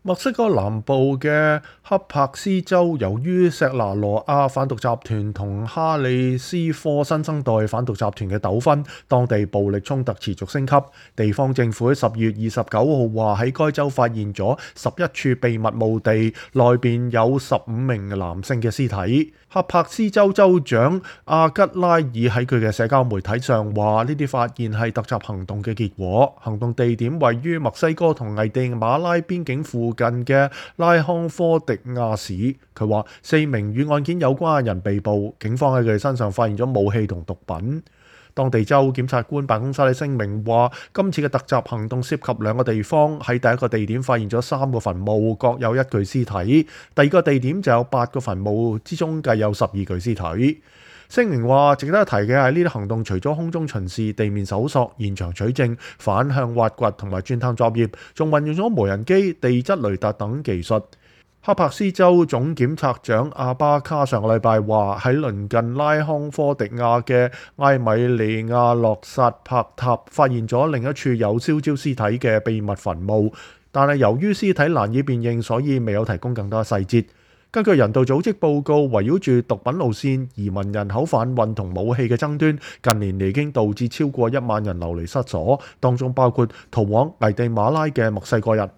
墨西哥南部嘅恰帕斯州，由於錫拿羅亞販毒集團同哈里斯科新生代販毒集團嘅糾紛，當地暴力衝突持續升級。地方政府喺10月29號話喺該州發現咗11處秘密墓地，內邊有15名男性嘅屍體。恰帕斯州州長阿吉拉爾喺佢嘅社交媒體上話：呢啲發現係突襲行動嘅結果。行動地點位於墨西哥同危地馬拉邊境附近嘅拉康科迪亞市。佢話4名與案件有關嘅人被捕，警方喺佢哋身上發現咗武器同毒品。當地州檢察官辦公室喺聲明話，今次嘅突襲行動涉及2個地方，喺第一個地點發現咗3個墳墓，各有1具屍體；第二個地點就有8個墳墓，之中計有12具屍體。聲明話，值得一提嘅係呢啲行動除咗空中巡視、地面搜索、現場取證、反向挖掘同埋鑽探作業，仲運用咗無人機、地質雷達等技術。恰帕斯州總檢察長阿巴卡上個禮拜話，喺鄰近拉康科迪亞嘅埃米利亞洛薩帕塔發現咗另一處有燒焦屍體嘅秘密墳墓，但係由於屍體難以辨認，所以未有提供更多細節。根據人道組織報告，圍繞住毒品路線、移民人口販運同武器嘅爭端，近年嚟已經導致超過1萬人流離失所，當中包括逃往危地馬拉嘅墨西哥人。